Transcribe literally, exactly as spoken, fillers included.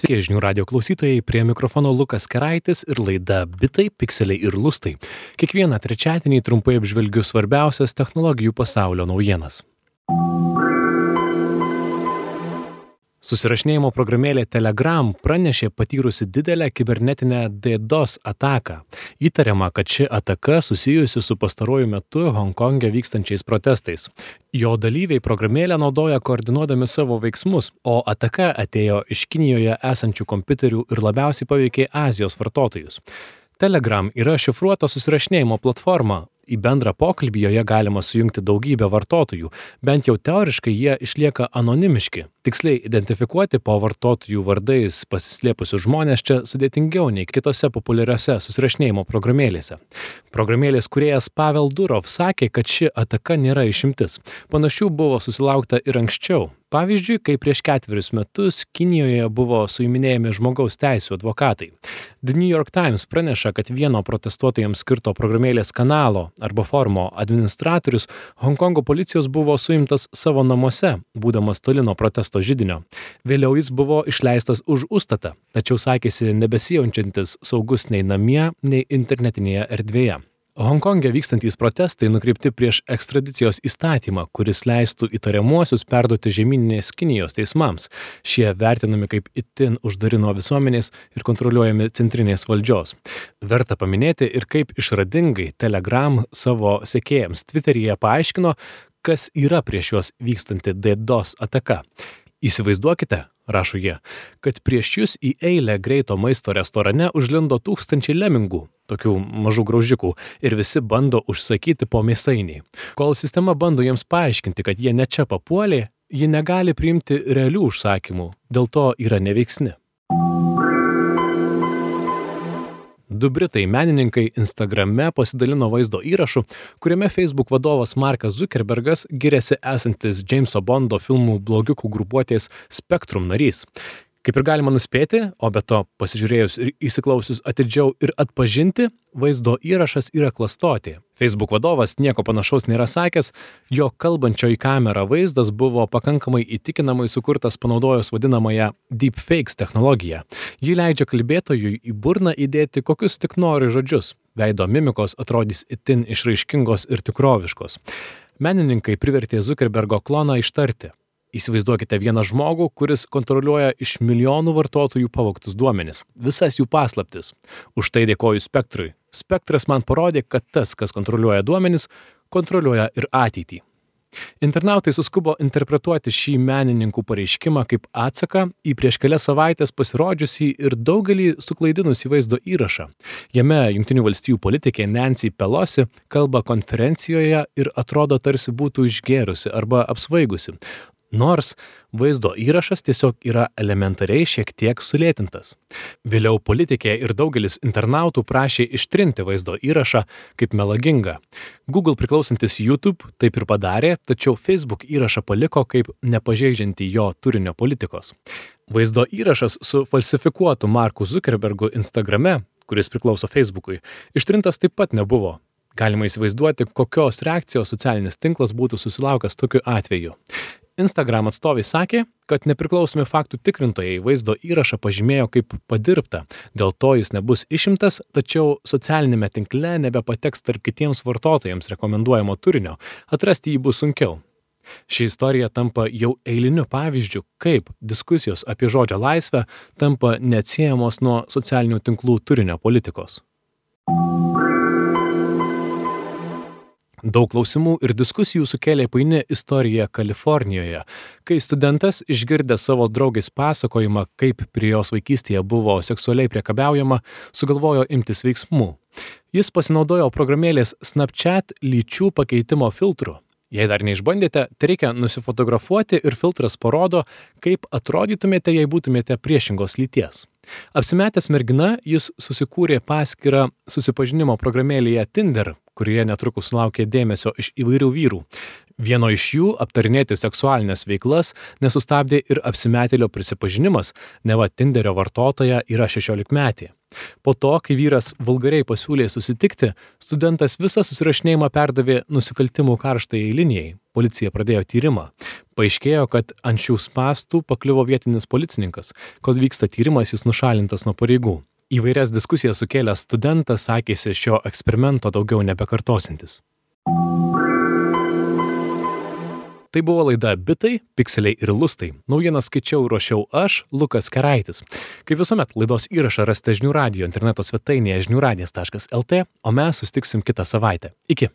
Sveiki, žinių radio klausytojai, prie mikrofono Lukas Keraitis ir laida Bitai, pikseliai ir lustai. Kiekvieną trečiadienį trumpai apžvelgiu svarbiausias technologijų pasaulio naujienas. Susirašinėjimo programėlė Telegram pranešė patyrusi didelę kibernetinę DDoS ataką. Įtariama, kad ši ataka susijusi su pastaruoju metu Honkonge vykstančiais protestais. Jo dalyviai programėlę naudoja koordinuodami savo veiksmus, o ataka atėjo iš Kinijoje esančių kompiuterių ir labiausiai paveikė Azijos vartotojus. Telegram yra šifruota susirašinėjimo platforma. Į bendrą pokalbį joje galima sujungti daugybę vartotojų, bent jau teoriškai jie išlieka anonimiški. Tiksliai identifikuoti po vartotojų vardais pasislėpusius žmonės čia sudėtingiau nei kitose populiariose susirašinėjimo programėlėse. Programėlės kūrėjas Pavel Durov sakė, kad ši ataka nėra išimtis. Panašių buvo susilaukta ir anksčiau. Pavyzdžiui, kai prieš ketverius metus Kinijoje buvo suiminėjami žmogaus teisių advokatai. The New York Times praneša, kad vieno protestuotojams skirto programėlės kanalo arba forumo administratorius Honkongo policijos buvo suimtas savo namuose, būdamas toli nuo protesto židinio. Vėliau jis buvo išleistas už užstatą, tačiau sakėsi nebesijaučiantis saugus nei namie, nei internetinėje erdvėje. Honkonge vykstantys protestai nukreipti prieš ekstradicijos įstatymą, kuris leistų įtariamuosius perduoti žemyninės Kinijos teismams. Šie vertinami kaip itin uždari nuo visuomenės ir kontroliuojami centrinės valdžios. Verta paminėti ir kaip išradingai Telegram savo sekėjams Twitteryje paaiškino, kas yra prieš juos vykstanti DDoS ataka. Įsivaizduokite, rašo jie, kad prieš jūs į eilę greito maisto restorane užlindo tūkstančiai lemingų, tokių mažų graužikų, ir visi bando užsakyti po mėsainį. Kol sistema bando jiems paaiškinti, kad jie ne čia papuolė, ji negali priimti realių užsakymų, dėl to yra neveiksni. Du britai menininkai Instagrame pasidalino vaizdo įrašu, kuriame Facebook vadovas Markas Zuckerbergas giriasi esantis Jameso Bondo filmų blogiukų grupuotės Spectrum narys. Kaip ir galima nuspėti, o be to pasižiūrėjus ir įsiklausius atidžiau ir atpažinti, vaizdo įrašas yra klastotė. Facebook vadovas nieko panašaus nėra sakęs, jo kalbančio į kamerą vaizdas buvo pakankamai įtikinamai sukurtas panaudojus vadinamąją deepfakes technologiją. Ji leidžia kalbėtojui į burną įdėti kokius tik nori žodžius. Veido mimikos atrodys itin išraiškingos ir tikroviškos. Menininkai privertė Zuckerbergo kloną ištarti. Įsivaizduokite vieną žmogų, kuris kontroliuoja iš milijonų vartotojų pavogtus duomenis, visas jų paslaptis. Už tai dėkoju Spektrui. Spektras man parodė, kad tas, kas kontroliuoja duomenis, kontroliuoja ir ateitį. Internautai suskubo interpretuoti šį menininkų pareiškimą kaip atsaką į prieš kelias savaitės pasirodžiusį ir daugelį suklaidinusį vaizdo įrašą. Jame Jungtinių valstijų politikė Nancy Pelosi kalba konferencijoje ir atrodo tarsi būtų išgėrusi arba apsvaigusi. Nors vaizdo įrašas tiesiog yra elementariai šiek tiek sulėtintas. Vėliau politikė ir daugelis internautų prašė ištrinti vaizdo įrašą kaip melagingą. Google priklausantis YouTube taip ir padarė, tačiau Facebook įrašą paliko kaip nepažeidžiantį jo turinio politikos. Vaizdo įrašas su falsifikuotu Marku Zuckerbergu Instagrame, kuris priklauso Facebookui, ištrintas taip pat nebuvo. Galima įsivaizduoti, kokios reakcijos socialinis tinklas būtų susilaukęs tokiu atveju. Instagram atstovai sakė, kad nepriklausomi faktų tikrintojai vaizdo įrašą pažymėjo kaip padirbtą, dėl to jis nebus išimtas, tačiau socialinėme tinkle nebepateks tarp kitiems vartotojams rekomenduojamo turinio, atrasti jį bus sunkiau. Ši istorija tampa jau eiliniu pavyzdžiu, kaip diskusijos apie žodžio laisvę tampa neatsiejamos nuo socialinių tinklų turinio politikos. Daug klausimų ir diskusijų sukėlė paini istorija Kalifornijoje, kai studentas, išgirdęs savo draugės pasakojimą, kaip prie jos vaikystėje buvo seksualiai priekabiaujama, sugalvojo imtis veiksmų. Jis pasinaudojo programėlės Snapchat lyčių pakeitimo filtru. Jei dar neišbandėte, tai reikia nusifotografuoti ir filtras parodo, kaip atrodytumėte, jei būtumėte priešingos lyties. Apsimetęs mergina, jis susikūrė paskyrą susipažinimo programėlėje Tinder, kurioje netrukus sulaukė dėmesio iš įvairių vyrų. Vieno iš jų aptarinėti seksualinės veiklas nesustabdė ir apsimetėlio prisipažinimas, neva Tinderio vartotoja yra šešiolikmetė. Po to, kai vyras vulgariai pasiūlė susitikti, studentas visą susirašinėjimą perdavė nusikaltimų karštajai linijai. Policija pradėjo tyrimą. Paaiškėjo, kad ant šių spąstų pakliuvo vietinis policininkas. Kol vyksta tyrimas, jis nušalintas nuo pareigų. Įvairias diskusijas sukėlęs studentas sakėsi šio eksperimento daugiau nebekartosintis. Tai buvo laida Bitai, pikseliai ir lustai. Naujienas skaičiau ir ruošiau aš, Lukas Keraitis. Kaip visuomet, laidos įrašą rasite žinių radijo interneto svetainėje žinių radijas taškas lt, o mes susitiksim kitą savaitę. Iki.